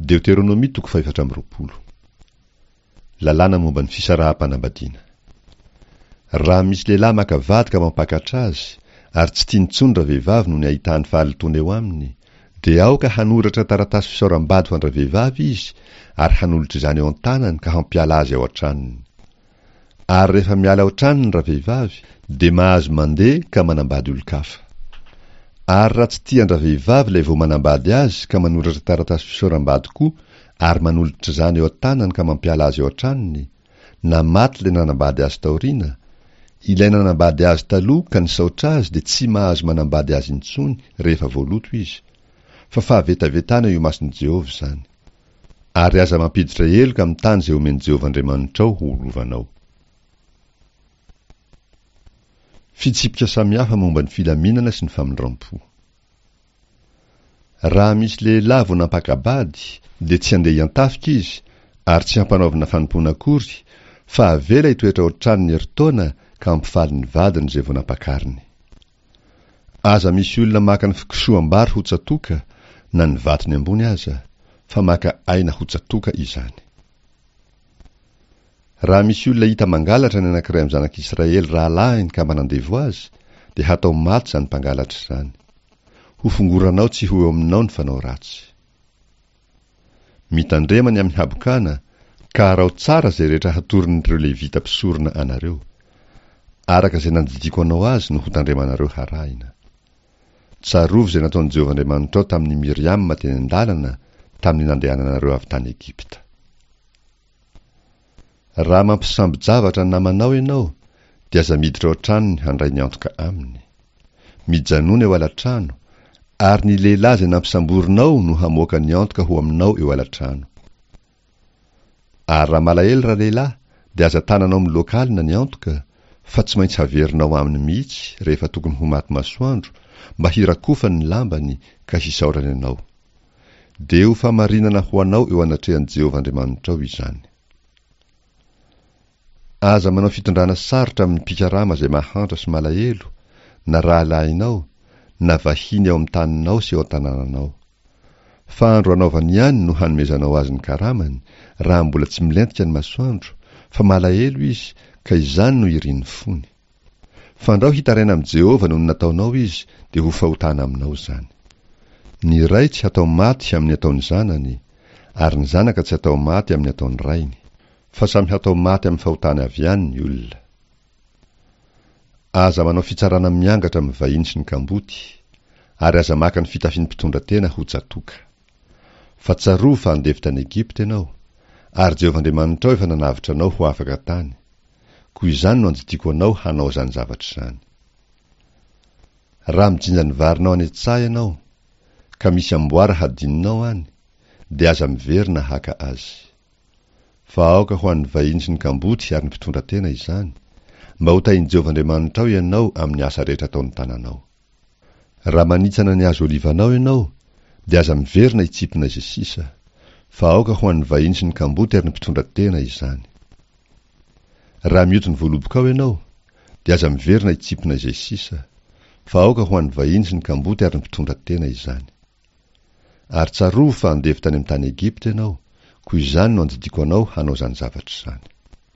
Deoteronomia toko fahefatra amby 24. Lalàna momba ny fisaraham-panambadiana. Raha misy lehilahy maka vady ka mampakatra azy, ary tsy tiany intsony ravehivavy noho ny ahitany fahalotoana eo aminy, dia aoka hanoratra taratasy fisaoram-bady ho an-dravehivavy izy ary hanolotra izany eo an-tanany ka hampiala azy ao an-tranony. Ary rehefa miala ao an-tranony ravehivavy, dia mahazo mandeha ka manambady olon-kafa. Ary raha tsy tia an-dravehivavy ilay vao manambady azy ka manoratra taratasy fisaoram-bady koa ary manolotra izany eo an-tanany ka mampiala azy ao an-tranony, na maty ilay nanambady azy taoriana, ilay nanambady azy taloha ka nisaotra azy dia tsy mahazo manambady azy intsony rehefa voaloto izy, fa fahavetavetana eo imason'i Jehovah izany. Ary aza mampiditra heloka amin'ny tany izay omen'i Jehovah Andriamanitrao ho lovanao. Fitsipika samihafa momba ny filaminana sy ny famindram-po. Raha misy lehilahy vao nampaka-bady, dia tsy handeha hiantafika izy, ary tsy hampanaovina fanompoana akory, fa avela hitoetra ao an-tranony herintaona ka hampifaly ny vadiny izay vao nampakariny. Aza misy olona maka ny fikosoham-bary ho tsatoka, na ny vatony ambony aza, fa maka aina ho tsatoka izany. Raha misy olona hita mangalatra ny anankiray amin'ny zanak'Israely rahalahiny ka manandevo azy, dia hatao maty izany mpangalatra izany. Hofongoranao tsy ho eo aminao ny fanao ratsy. Mitandrema ny amin'ny habokana, ka araho tsara izay rehetra hatoron'ireo Levita mpisorona anareo. Araka izay nandidiako anao azy no hotandremanareo harahina. Tsarovy izay nataon'i Jehovah Andriamanitrao tamin'i Miriama teny an-dalana, tamin'ny nandehananareo avy tany Egypta. Raha mampisambo-javatra ny namanao ianao, dia aza miditra ao an-tranony handray ny antoka aminy. Mijanòna eo ala-trano, ary ny lehilahy izay nampisamborinao no hamoaka ny antoka ho aminao eo ala-trano. Ary raha malahelo ralehilahy, dia aza tananao miloaka alina ny antoka, fa tsy maintsy haverinao aminy mihitsy rehefa tokony ho maty masoandro, mba hirakofany ny lambany ka hisaorany anao. Dia ho famarinana ho anao eo anatrehan'i Jehovah Andriamanitrao izany. Aza manao fitondrana sarotra amin'ny mpikarama izay mahantra sy malahelo, na rahalahinao, na vahiny ao amin'ny taninao sy ao an-tanànanao. Fa andro anaovany ihany no hanomezanao azy ny karamany, raha mbola tsy milentika ny masoandro, fa malahelo izy, ka izany no irin'ny fony. Fandrao hitaraina amin'i Jehovah noho ny nataonao izy, dia ho fahotana aminao izany. Ny ray tsy hatao maty amin'ny ataon'ny zanany, ary ny zanaka tsy hatao maty amin'ny ataon'ny rainy, fa samy hatao maty amin'ny fahotany avy ihany ny olona. Aza manao fitsarana miangatra amin'ny vahiny sy ny kamboty, ary aza maka ny fitafian'ny mpitondra tena ho tsatoka. Fa tsarovy fa andevo tany Egypta ianao, ary Jehovah Andriamanitrao efa nanavotra anao ho afaka tany. Koa izany no andidiako anao hanao izany zavatra izany. Raha mijinja ny varinao any an-tsaha ianao, ka misy amboara hadinonao any, dia aza miverina haka azy. Fa aoka ho an'ny vahiny sy ny kamboty ary ny mpitondra tena izany, mba ho tahin'i Jehovah Andriamanitrao ianao amin'ny asa rehetra ataon'ny tananao. Raha manitsana ny hazo olivanao ianao, dia aza miverina hitsimpona izay sisa, fa aoka ho an'ny vahiny sy ny kamboty ary ny mpitondra tena izany. Raha mioty ny voalobokao ianao, dia aza miverina hitsimpona izay sisa, fa aoka ho an'ny vahiny sy ny kamboty ary ny mpitondra tena izany. Ary tsarovy fa andevo tany amin'ny tany Egypta ianao, koa izany no andidiako anao hanao izany zavatra izany.